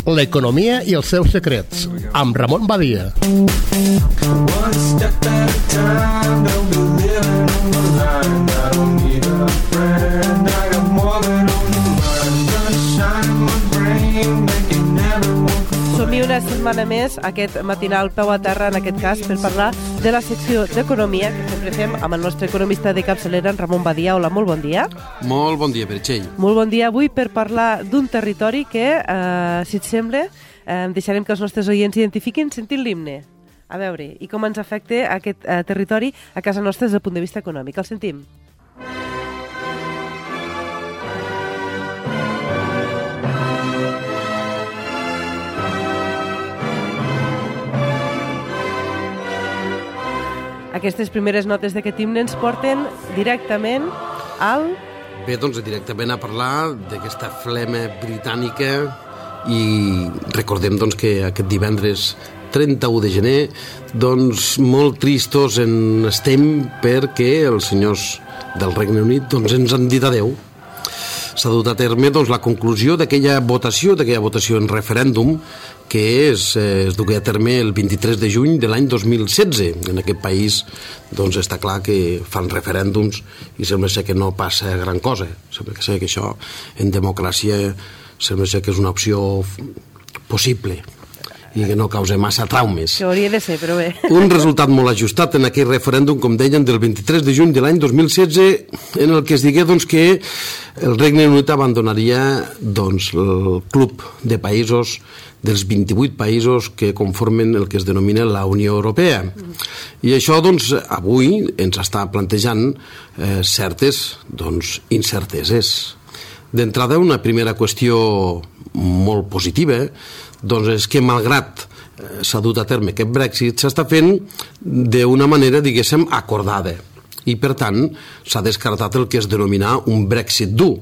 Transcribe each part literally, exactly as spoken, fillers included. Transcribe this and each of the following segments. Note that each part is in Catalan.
L'economia i els seus secrets, amb Ramon Badia. Som-hi una setmana més, aquest matinal peu a terra, en aquest cas, per parlar de la secció d'Economia, que sempre fem amb el nostre economista de capçalera, en Ramon Badia. Hola, molt bon dia. Molt bon dia, Meritxell. Molt bon dia avui per parlar d'un territori que, eh, si et sembla, eh, deixarem que els nostres oients identifiquin sentint l'himne. A veure, i com ens afecta aquest eh, territori a casa nostra des del punt de vista econòmic. El sentim. Aquestes primeres notes d'aquest himne ens porten directament al... Bé, doncs directament a parlar d'aquesta flema britànica i recordem doncs, que aquest divendres trenta-u de gener doncs molt tristos en estem perquè els senyors del Regne Unit doncs, ens han dit adeu. S'ha dut a terme doncs, la conclusió d'aquella votació, d'aquella votació en referèndum que es, es dugué a terme el vint-i-tres de juny de l'any dos mil setze. En aquest país doncs, està clar que fan referèndums i sembla ser que no passa gran cosa. Sembla ser que això en democràcia sembla ser que és una opció possible i que no causa massa traumes. Que hauria de ser, però bé. Un resultat molt ajustat en aquell referèndum, com deien, del vint-i-tres de juny de l'any dos mil setze, en el que es digué doncs, que el Regne Unit abandonaria doncs, el club de països dels vint-i-vuit països que conformen el que es denomina la Unió Europea. I això, doncs, avui ens està plantejant eh, certes doncs, incerteses. D'entrada, una primera qüestió molt positiva doncs és que, malgrat eh, s'ha dut a terme aquest Brexit, s'està fent d'una manera, diguéssim, acordada. I, per tant, s'ha descartat el que es denomina un Brexit dur.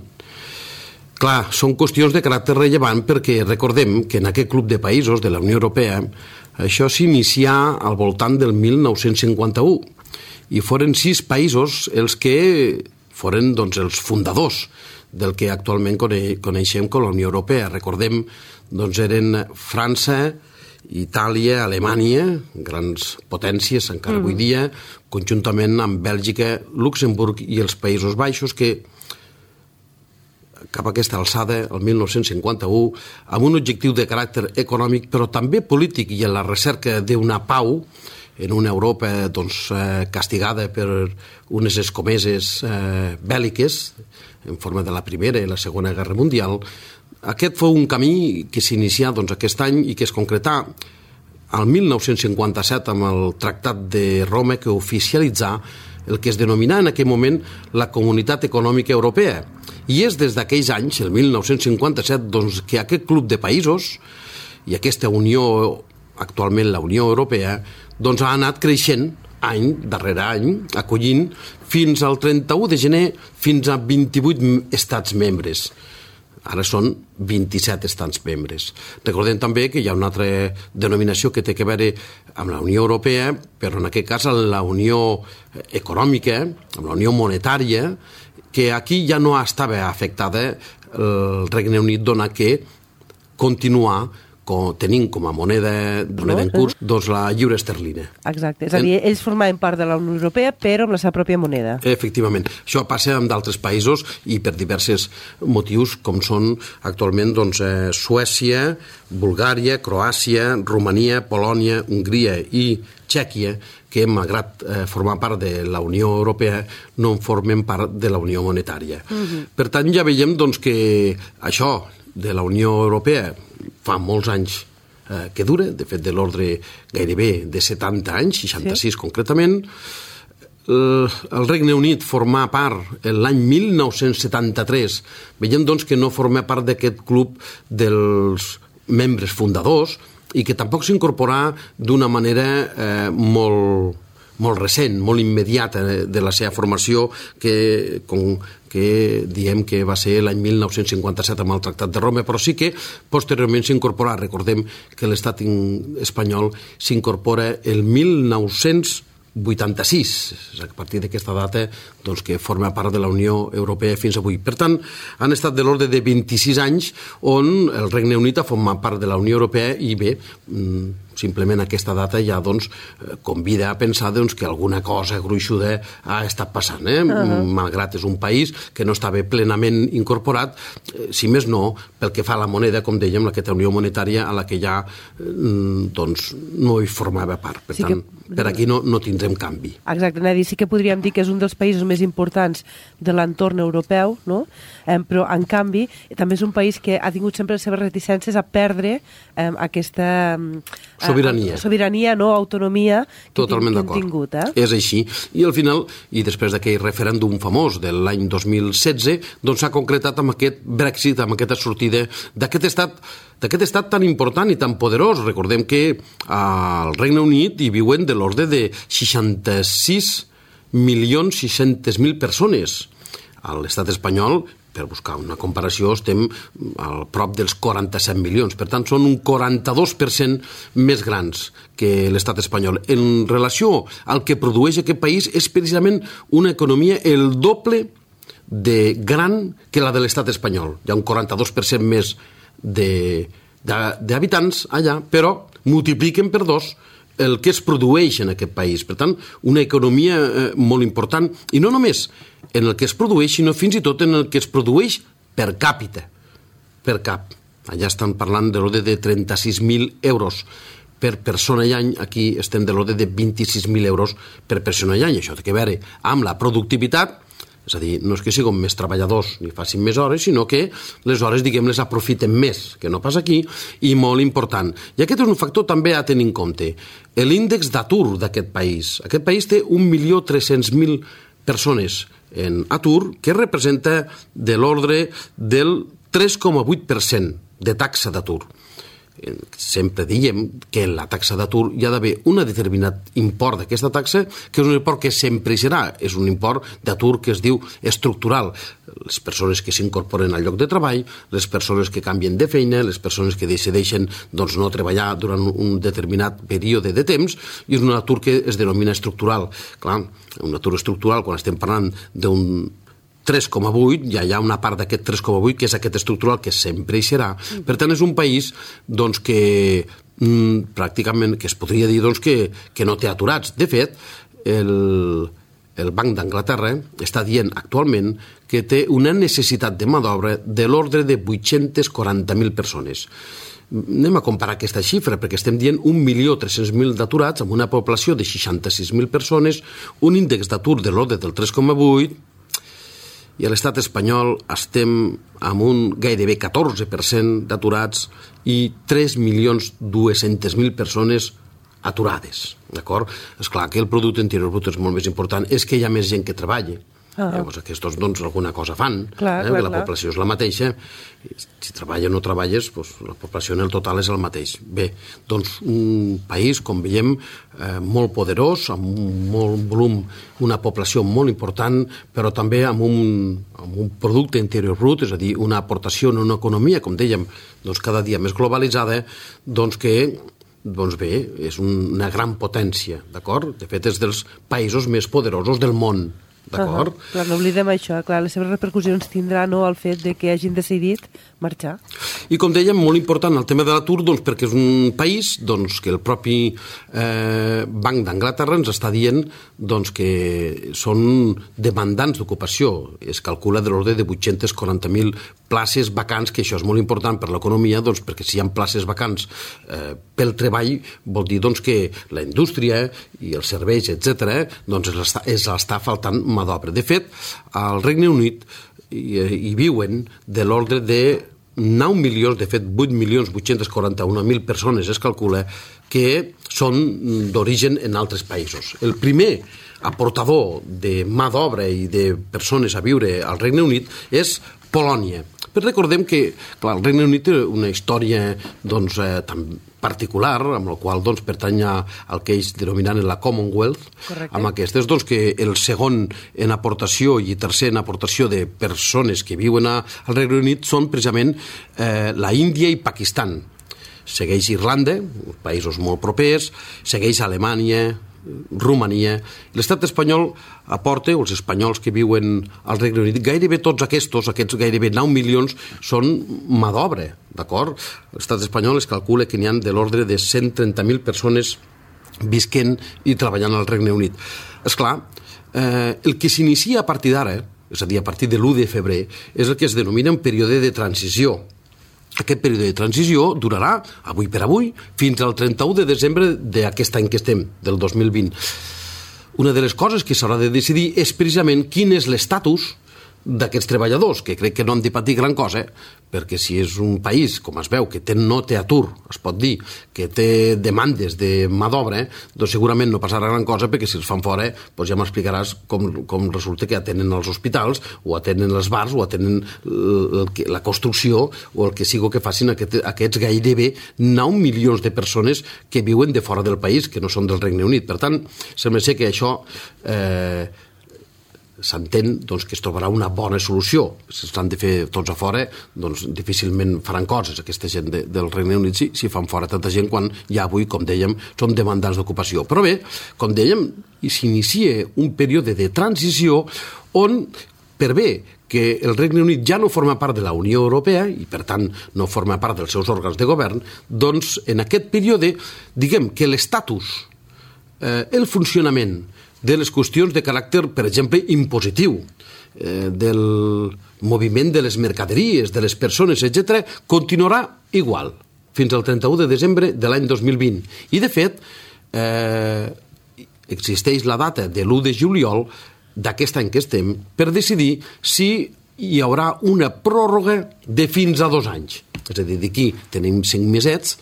Clar, són qüestions de caràcter rellevant perquè recordem que en aquest club de països de la Unió Europea això s'inicià al voltant del mil nou-cents cinquanta-u i foren sis països els que foren doncs, els fundadors del que actualment coneixem com la Unió Europea. Recordem, doncs eren França, Itàlia, Alemanya, grans potències encara mm. avui dia, conjuntament amb Bèlgica, Luxemburg i els Països Baixos, que cap a aquesta alçada, el mil nou-cents cinquanta-u, amb un objectiu de caràcter econòmic, però també polític i en la recerca d'una pau, en una Europa doncs, eh, castigada per unes escomeses eh, bèl·liques, en forma de la Primera i la Segona Guerra Mundial. Aquest fou un camí que s'inicià doncs, aquest any i que es concretà al mil nou-cents cinquanta-set amb el Tractat de Roma, que oficialitzà el que es denominà en aquell moment la Comunitat Econòmica Europea. I és des d'aquells anys, el mil nou-cents cinquanta-set, doncs, que aquest club de països i aquesta Unió, actualment la Unió Europea, doncs ha anat creixent any darrere any, acollint fins al trenta-u de gener fins a vint-i-vuit estats membres. Ara són vint-i-set estats membres. Recordem també que hi ha una altra denominació que té a veure amb la Unió Europea, però en aquest cas amb la Unió Econòmica, amb la Unió Monetària, que aquí ja no estava afectada el Regne Unit, dona que continua tenint com a moneda, moneda en curs doncs la lliure esterlina. Exacte, és a dir, ells formaven part de la Unió Europea però amb la seva pròpia moneda. Efectivament. Això passa amb d'altres països i per diversos motius com són actualment doncs, eh, Suècia, Bulgària, Croàcia, Romania, Polònia, Hongria i Txèquia, que malgrat eh, formar part de la Unió Europea no en formen part de la Unió Monetària. Uh-huh. Per tant, ja veiem doncs, que això de la Unió Europea fa molts anys eh, que dura, de fet de l'ordre gairebé de setanta anys, seixanta-sis sí. concretament. El, el Regne Unit formà part l'any mil nou-cents setanta-tres. Veiem doncs que no forma part d'aquest club dels membres fundadors i que tampoc s'incorporà d'una manera eh, molt, molt recent, molt immediata de la seva formació que, com, que diem que va ser l'any mil nou-cents cinquanta-set amb el Tractat de Roma, però sí que posteriorment s'incorporà. Recordem que l'estat espanyol s'incorpora el mil nou-cents vuitanta-sis, és a partir d'aquesta data doncs, que forma part de la Unió Europea fins avui. Per tant, han estat de l'ordre de vint-i-sis anys on el Regne Unit ha format part de la Unió Europea i bé, simplement aquesta data ja doncs, convida a pensar doncs, que alguna cosa gruixuda ha estat passant, eh? Uh-huh. Malgrat és un país que no estava plenament incorporat, si més no, pel que fa a la moneda, com dèiem, aquesta unió monetària a la que ja doncs, no hi formava part. Per sí tant, que... per aquí no, no tindrem canvi. Exacte, Nadi, sí que podríem dir que és un dels països més importants de l'entorn europeu, no? Eh, però en canvi també és un país que ha tingut sempre les seves reticències a perdre eh, aquesta eh, sobirania, sobirania no? Autonomia que, Totalment que hem tingut. Eh? És així. I al final, i després d'aquell referèndum famós de l'any dos mil setze, doncs s'ha concretat amb aquest Brexit, amb aquesta sortida d'aquest estat d'aquest estat tan important i tan poderós. Recordem que al Regne Unit hi viuen de l'ordre de seixanta-sis milions sis-cents mil persones. A l'estat espanyol, per buscar una comparació, estem al prop dels quaranta-set milions. Per tant, són un quaranta-dos per cent més grans que l'estat espanyol. En relació al que produeix aquest país, és precisament una economia el doble de gran que la de l'estat espanyol. Hi ha un quaranta-dos per cent més d'habitants allà, però multipliquen per dos el que es produeix en aquest país. Per tant, una economia eh, molt important, i no només en el que es produeix, sinó fins i tot en el que es produeix per càpita, per cap. Allà estan parlant de l'ordre de trenta-sis mil euros per persona i any, aquí estem de l'ordre de vint-i-sis mil euros per persona i any. Això té a veure amb la productivitat, és a dir, no és que siguin més treballadors ni facin més hores, sinó que les hores, diguem, les aprofiten més, que no pas aquí, i molt important. I aquest és un factor també a tenir en compte. L'índex d'atur d'aquest país. Aquest país té un milió tres-cents mil persones en atur, que representa de l'ordre del tres coma vuit per cent de taxa d'atur. Sempre diem que en la taxa d'atur hi ha d'haver un determinat import d'aquesta taxa, que és un import que sempre hi serà, és un import d'atur que es diu estructural. Les persones que s'incorporen al lloc de treball, les persones que canvien de feina, les persones que decideixen doncs, no treballar durant un determinat període de temps, i és un atur que es denomina estructural. Clar, un atur estructural, quan estem parlant d'un tres coma vuit, ja hi ha una part d'aquest tres coma vuit que és aquest estructural que sempre hi serà. Per tant, és un país doncs, que mm, pràcticament que es podria dir doncs, que, que no té aturats. De fet, el, el Banc d'Anglaterra està dient actualment que té una necessitat de mà d'obra de l'ordre de vuit-cents quaranta mil persones. Anem a comparar aquesta xifra, perquè estem dient un milió tres-cents mil d'aturats amb una població de seixanta-sis mil persones, un índex d'atur de l'ordre del tres coma vuit, i a l'estat espanyol estem amb un gairebé catorze per cent d'aturats i tres milions dos-cents mil persones aturades. D'acord? És clar que el producte interior brut és molt més important, és que hi ha més gent que treballa. Ah. Llavors aquests doncs alguna cosa fan, clar, eh? clar, la clar. població és la mateixa, si treballa o no treballes, doncs la població en el total és el mateix. Bé, doncs un país, com veiem, eh, molt poderós, amb un molt volum, una població molt important, però també amb un, amb un producte interior brut, és a dir, una aportació en una economia, com dèiem, doncs cada dia més globalitzada, doncs que doncs bé, és una gran potència, d'acord? De fet, és dels països més poderosos del món. D'acord? Uh-huh. Clar, no oblidem això, clar, les seves repercussions tindrà no, el fet de que hagin decidit marxar. I com dèiem, molt important el tema de l'atur, doncs, perquè és un país doncs, que el propi eh, Banc d'Anglaterra ens està dient doncs, que són demandants d'ocupació. Es calcula de l'ordre de vuit-cents quaranta mil places vacants, que això és molt important per l'economia, doncs, perquè si hi ha places vacants eh, pel treball, vol dir doncs, que la indústria i els serveis, etcètera, doncs, es l'està faltant mà d'obra. De fet, al Regne Unit hi, hi viuen de l'ordre de nou milions, de fet vuit milions vuit-cents quaranta-un mil persones es calcula que són d'origen en altres països. El primer aportador de mà d'obra i de persones a viure al Regne Unit és Polònia. Però recordem que, clar, el Regne Unit té una història doncs, eh, tan particular, amb la qual doncs, pertany al que ells denominen la Commonwealth. Correcte. Amb aquestes, doncs, que el segon en aportació i tercer en aportació de persones que viuen a, al Regne Unit són precisament eh, la Índia i Pakistan. Segueix Irlanda, països molt propers, segueix Alemanya, Romania. L'estat espanyol aporta, o els espanyols que viuen al Regne Unit, gairebé tots aquests, aquests gairebé nou milions, són mà d'obra, d'acord? L'estat espanyol es calcula que n'hi ha de l'ordre de cent trenta mil persones visquent i treballant al Regne Unit. Esclar, eh, el que s'inicia a partir d'ara, és a dir, a partir de l'u de febrer, és el que es denomina un període de transició. Aquest període de transició durarà, avui per avui, fins al trenta-u de desembre d'aquest any que estem, del dos mil vint. Una de les coses que s'haurà de decidir és precisament quin és l'estatus d'aquests treballadors, que crec que no han de patir gran cosa, perquè si és un país, com es veu, que té, no té atur, es pot dir, que té demandes de mà d'obra, doncs segurament no passarà gran cosa, perquè si els fan fora, doncs ja m'explicaràs com, com resulta que atenen els hospitals, o atenen els bars, o atenen el, el, la construcció, o el que sigui que facin aquest, aquests gairebé nou milions de persones que viuen de fora del país, que no són del Regne Unit. Per tant, sembla ser que això eh, s'entén doncs, que es trobarà una bona solució. Si s'han de fer tots a fora, doncs difícilment faran coses aquesta gent de, del Regne Unit si, si fan fora tanta gent quan ja avui, com dèiem, som demandants d'ocupació. Però bé, com dèiem, s'inicia un període de transició on, per bé que el Regne Unit ja no forma part de la Unió Europea i, per tant, no forma part dels seus òrgans de govern, doncs en aquest període, diguem que l'estatus, eh, el funcionament de les qüestions de caràcter, per exemple, impositiu, eh, del moviment de les mercaderies, de les persones, etcètera, continuarà igual fins al trenta-u de desembre de l'any dos mil vint. I, de fet, eh, existeix la data de l'u de juliol d'aquest any que estem per decidir si hi haurà una pròrroga de fins a dos anys. És a dir, d'aquí tenim cinc mesets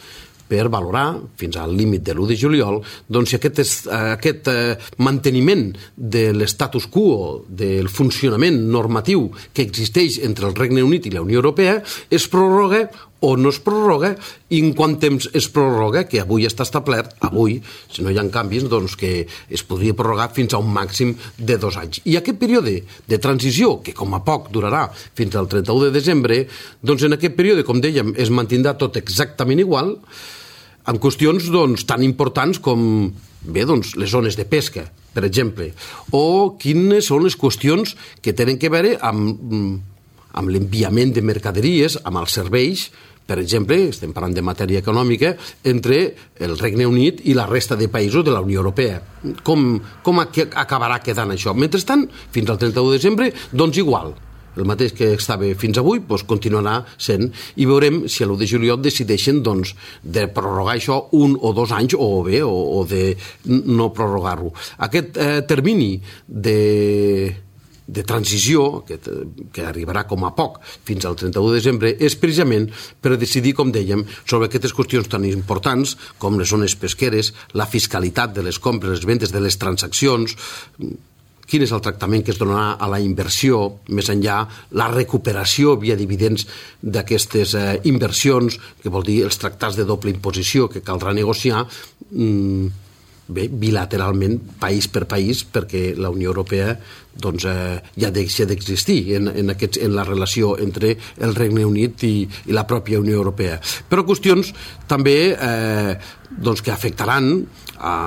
per valorar, fins al límit de l'u de juliol, doncs si aquest, és, aquest eh, manteniment de l'estatus quo, del funcionament normatiu que existeix entre el Regne Unit i la Unió Europea, es prorroga o no es prorroga, i en quant temps es prorroga, que avui està establert, avui, si no hi ha canvis, doncs que es podria prorrogar fins a un màxim de dos anys. I aquest període de transició, que com a poc durarà fins al trenta-u de desembre, doncs en aquest període, com dèiem, es mantindrà tot exactament igual, en qüestions doncs, tan importants com bé, doncs, les zones de pesca, per exemple, o quines són les qüestions que tenen que veure amb, amb l'enviament de mercaderies, amb els serveis, per exemple, estem parlant de matèria econòmica, entre el Regne Unit i la resta de països de la Unió Europea. Com, com acabarà quedant això? Mentrestant, fins al trenta-u de desembre, doncs igual. El mateix que estava fins avui doncs continuarà sent, i veurem si a l'u de juliol decideixen doncs, de prorrogar això un o dos anys o bé, o, o de no prorrogar-ho. Aquest eh, termini de, de transició, que, que arribarà com a poc fins al trenta-u de desembre, és precisament per decidir, com dèiem, sobre aquestes qüestions tan importants com les zones pesqueres, la fiscalitat de les compres, les vendes, de les transaccions, quin és el tractament que es donarà a la inversió, més enllà la recuperació via dividends d'aquestes eh, inversions, que vol dir els tractats de doble imposició que caldrà negociar mm, bé, bilateralment, país per país, perquè la Unió Europea doncs, eh, ja deixa d'existir en, en, aquests, en la relació entre el Regne Unit i, i la pròpia Unió Europea. Però qüestions també eh, doncs, que afectaran a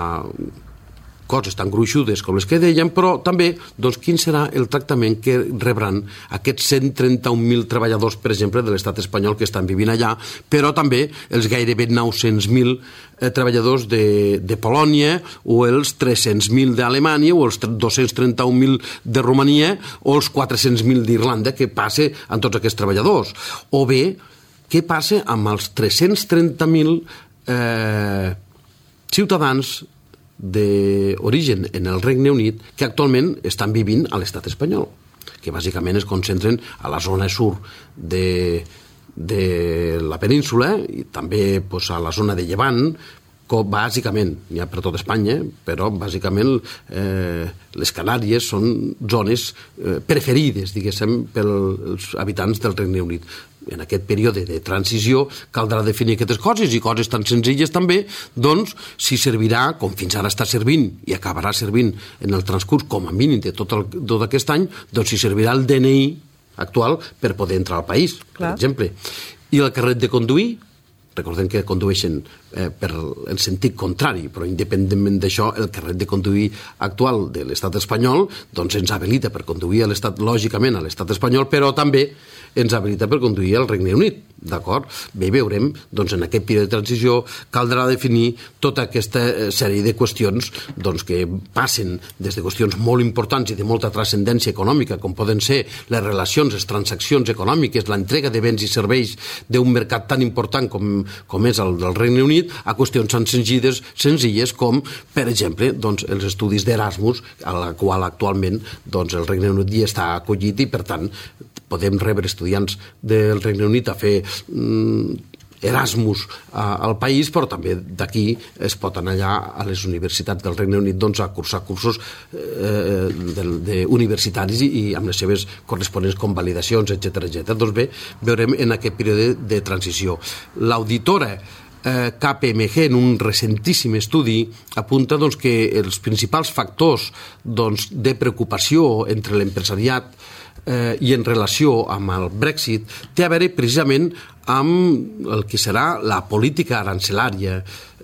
coses tan gruixudes com les que dèiem, però també doncs, quin serà el tractament que rebran aquests cent trenta-un mil treballadors, per exemple, de l'estat espanyol que estan vivint allà, però també els gairebé nou-cents mil eh, treballadors de, de Polònia, o els tres-cents mil d'Alemanya, o els dos-cents trenta-un mil de Romania, o els quatre-cents mil d'Irlanda, que passa amb tots aquests treballadors. O bé, què passa amb els tres-cents trenta mil eh, ciutadans d'origen en el Regne Unit que actualment estan vivint a l'estat espanyol, que bàsicament es concentren a la zona sur de, de la península i també pues, a la zona de Llevant, com bàsicament, n'hi ha per tot Espanya, però bàsicament eh, les Canàries són zones eh, preferides, diguéssim, pels habitants del Regne Unit. En aquest període de transició caldrà definir aquestes coses, i coses tan senzilles també, doncs, si servirà, com fins ara està servint, i acabarà servint en el transcurs com a mínim de tot, el, tot aquest any, doncs si servirà el D N I actual per poder entrar al país, Clar. Per exemple. I el carnet de conduir, recordem que condueixen eh, per, en sentit contrari, però independentment d'això, el carnet de conduir actual de l'estat espanyol doncs ens habilita per conduir a l'estat, lògicament a l'estat espanyol, però també ens habilita per conduir al Regne Unit, d'acord? Bé, veurem, doncs en aquest període de transició caldrà definir tota aquesta sèrie de qüestions doncs, que passen des de qüestions molt importants i de molta transcendència econòmica, com poden ser les relacions, les transaccions econòmiques, l'entrega de béns i serveis d'un mercat tan important com, com és el del Regne Unit, a qüestions tan senzilles, senzilles com, per exemple, doncs, els estudis d'Erasmus, a la qual actualment doncs, el Regne Unit hi està acollit i, per tant, podem rebre estudiants del Regne Unit a fer mm, Erasmus a, al país, però també d'aquí es pot anar allà a les universitats del Regne Unit doncs, a cursar cursos eh, de, de universitaris i, i amb les seves corresponents convalidacions, etcètera etcètera. Doncs bé, veurem en aquest període de transició. L'auditora eh, K P M G en un recentíssim estudi apunta doncs, que els principals factors doncs, de preocupació entre l'empresariat eh, i en relació amb el Brexit té a veure precisament amb el que serà la política arancelària.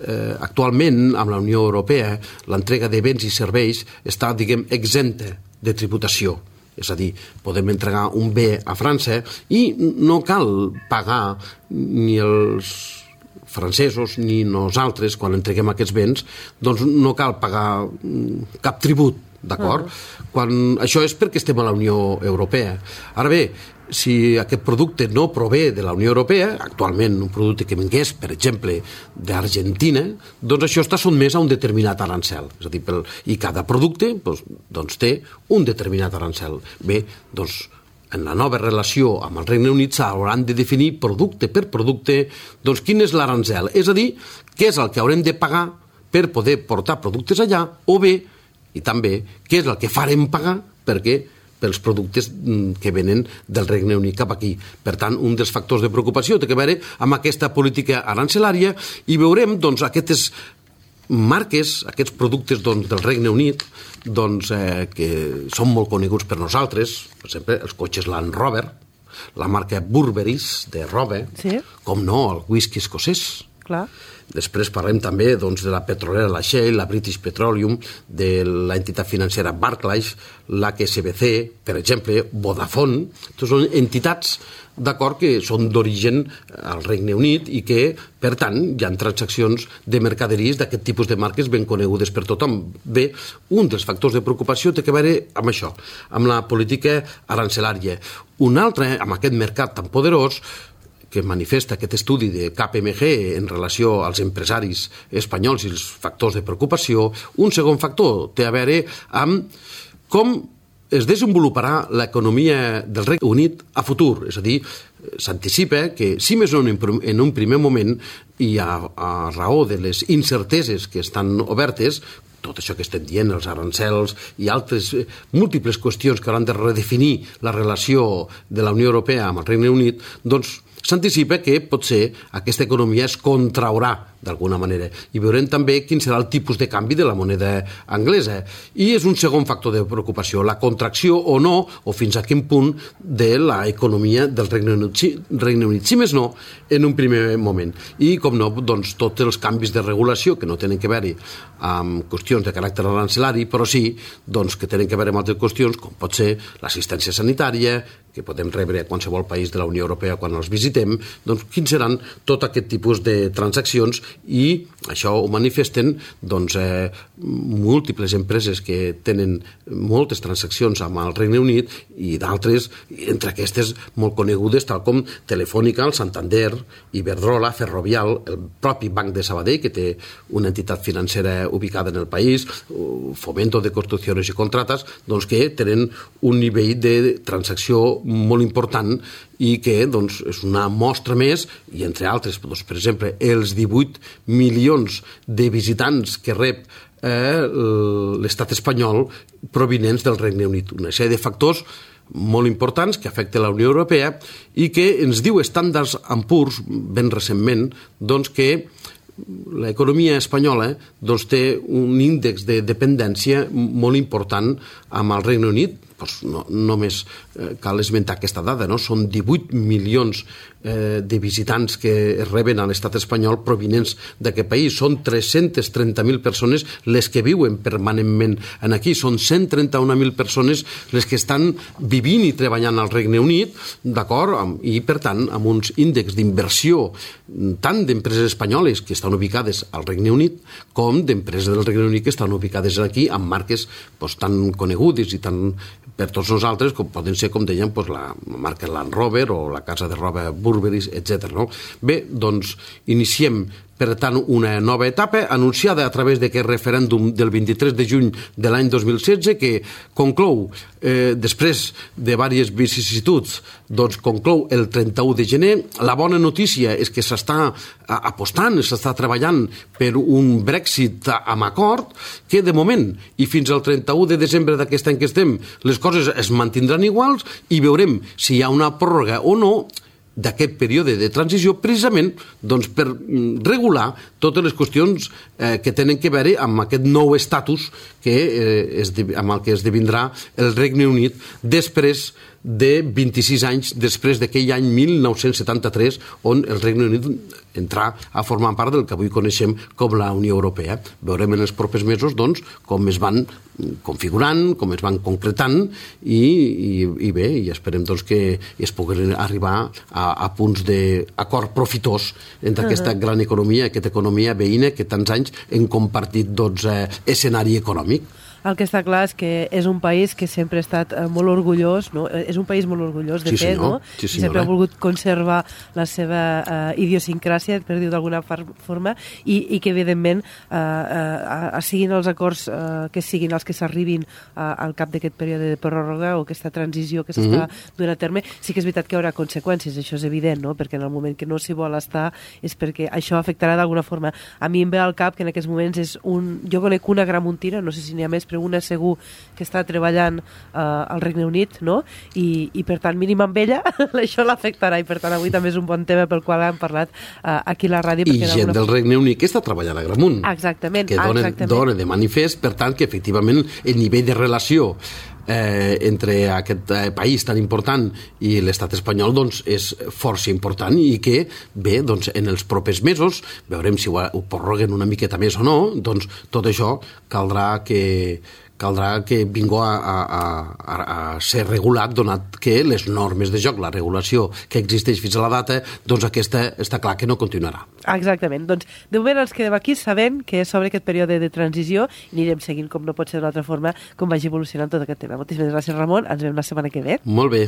Eh, actualment, amb la Unió Europea, l'entrega de béns i serveis està, diguem, exempta de tributació. És a dir, podem entregar un bé a França i no cal pagar ni els francesos ni nosaltres, quan entreguem aquests béns, doncs no cal pagar cap tribut, d'acord? Uh-huh. Quan això és perquè estem a la Unió Europea. Ara bé, si aquest producte no prové de la Unió Europea, actualment un producte que vingués, per exemple, d'Argentina, doncs això està sotmès a un determinat arancel. És a dir, pel, i cada producte doncs, doncs té un determinat arancel. Bé, doncs en la nova relació amb el Regne Unit s'hauran de definir producte per producte doncs quin és l'arancel. És a dir, què és el que haurem de pagar per poder portar productes allà, o bé, i també, què és el que farem pagar perquè pels productes que venen del Regne Unit cap aquí. Per tant, un dels factors de preocupació té a veure amb aquesta política arancelària i veurem doncs, aquestes marques, aquests productes doncs, del Regne Unit doncs, eh, que són molt coneguts per nosaltres, per exemple, els cotxes Land Rover, la marca Burberry's de roba, sí. Com no, el whisky escocès. Clar. Després parlem també doncs, de la petrolera la Shell, la British Petroleum, de l'entitat financera Barclays, l'H S B C, per exemple, Vodafone. Aquestes són entitats d'acord que són d'origen al Regne Unit i que, per tant, hi ha transaccions de mercaderies d'aquest tipus de marques ben conegudes per tothom. Bé, un dels factors de preocupació té a veure amb això, amb la política arancelària. Un altre, amb aquest mercat tan poderós, que manifesta aquest estudi de K P M G en relació als empresaris espanyols i els factors de preocupació, un segon factor té a veure amb com es desenvoluparà l'economia del Regne Unit a futur. És a dir, s'anticipa que, si més no en un primer moment, i a, a raó de les incerteses que estan obertes, tot això que estem dient, els arancels i altres múltiples qüestions que hauran de redefinir la relació de la Unió Europea amb el Regne Unit, doncs s'anticipa que potser aquesta economia es contraurà d'alguna manera. I veurem també quin serà el tipus de canvi de la moneda anglesa. I és un segon factor de preocupació, la contracció o no, o fins a quin punt, de l'economia del Regne Unit, Regne Unit, si més no, en un primer moment. I, com no, doncs, tots els canvis de regulació que no tenen que veure amb qüestions de caràcter arancelari, però sí doncs, que tenen que veure amb altres qüestions, com pot ser l'assistència sanitària, que podem rebre a qualsevol país de la Unió Europea quan els visitem, doncs quins seran tot aquest tipus de transaccions, i això ho manifesten doncs, eh, múltiples empreses que tenen moltes transaccions amb el Regne Unit i d'altres, entre aquestes molt conegudes, tal com Telefònica, el Santander, Iberdrola, Ferrovial, el propi Banc de Sabadell, que té una entitat financera ubicada en el país, Fomento de Construcciones i Contratas, doncs que tenen un nivell de transacció molt important i que doncs, és una mostra més, i entre altres, doncs, per exemple, els divuit milions de visitants que rep eh, l'estat espanyol provinents del Regne Unit. Una sèrie de factors molt importants que afecten la Unió Europea i que ens diu Standard and Poor's ben recentment doncs, que l'economia espanyola doncs, té un índex de dependència molt important amb el Regne Unit. Doncs no, només eh, cal esmentar aquesta dada, no? Són divuit milions eh, de visitants que es reben a l'estat espanyol provinents d'aquest país. Són tres-centes trenta mil persones les que viuen permanentment en aquí. Són cent trenta-un mil persones les que estan vivint i treballant al Regne Unit, d'acord? I, per tant, amb uns índexs d'inversió tant d'empreses espanyoles que estan ubicades al Regne Unit com d'empreses del Regne Unit que estan ubicades aquí amb marques doncs, tan conegudes i tan per tots nosaltres, com poden ser, com dèiem, doncs la marca Land Rover o la casa de roba Burberry, etcètera. No? Bé, doncs iniciem, per tant, una nova etapa anunciada a través d'aquest referèndum del vint-i-tres de juny de l'any dos mil setze que conclou, eh, després de diverses vicissituds, doncs conclou el trenta-u de gener. La bona notícia és que s'està apostant, s'està treballant per un Brexit amb acord que de moment i fins al trenta-u de desembre d'aquest any que estem les coses es mantindran iguals i veurem si hi ha una pròrroga o no d'aquest període de transició precisament doncs, per regular totes les qüestions eh, que tenen que veure amb aquest nou estatus que, eh, es, amb el que esdevindrà el Regne Unit després de vint-i-sis anys després d'aquell any mil nou-cents setanta-tres on el Regne Unit entrà a formar part del que avui coneixem com la Unió Europea. Veurem en els propers mesos doncs, com es van configurant, com es van concretant i, i, i bé, i esperem doncs, que es puguin arribar a, a punts d'acord profitós entre aquesta uh-huh. gran economia, aquesta economia veïna que tants anys hem compartit doncs, eh, escenari econòmic. El que està clar és que és un país que sempre ha estat molt orgullós, no? És un país molt orgullós de sí, fet, senyor. no? Sí, I sempre ha volgut conservar la seva uh, idiosincràsia, per dir-ho d'alguna forma, i, i que evidentment uh, uh, siguin els acords uh, que siguin els que s'arribin uh, al cap d'aquest període de pròrroga o aquesta transició que s'està mm-hmm. donant a terme, sí que és veritat que hi haurà conseqüències, això és evident, no? Perquè en el moment que no s'hi vol estar és perquè això afectarà d'alguna forma. A mi em ve al cap que en aquests moments és un... Jo conec una gramuntina, no sé si n'hi ha més, però una segur que està treballant uh, al Regne Unit, no? I, i per tant, mínim amb ella, això l'afectarà i per tant avui també és un bon tema pel qual hem parlat uh, aquí a la ràdio. I gent del Regne Unit que està treballant a Gramunt. Exactament. Que dona, exactament. dona de manifest, per tant, que efectivament el nivell de relació Eh, entre aquest eh, país tan important i l'estat espanyol doncs, és força important i que, bé, doncs, en els propers mesos, veurem si ho, ho prorroguen una miqueta més o no, doncs tot això caldrà que caldrà que vingui a, a, a, a ser regulat, donat que les normes de joc, la regulació que existeix fins a la data, doncs aquesta està clar que no continuarà. Exactament. Doncs de moment ens quedem aquí sabent que sobre aquest període de transició i anirem seguint, com no pot ser d'una altra forma, com vagi evolucionant tot aquest tema. Moltíssimes gràcies, Ramon. Ens veiem la setmana que ve. Molt bé.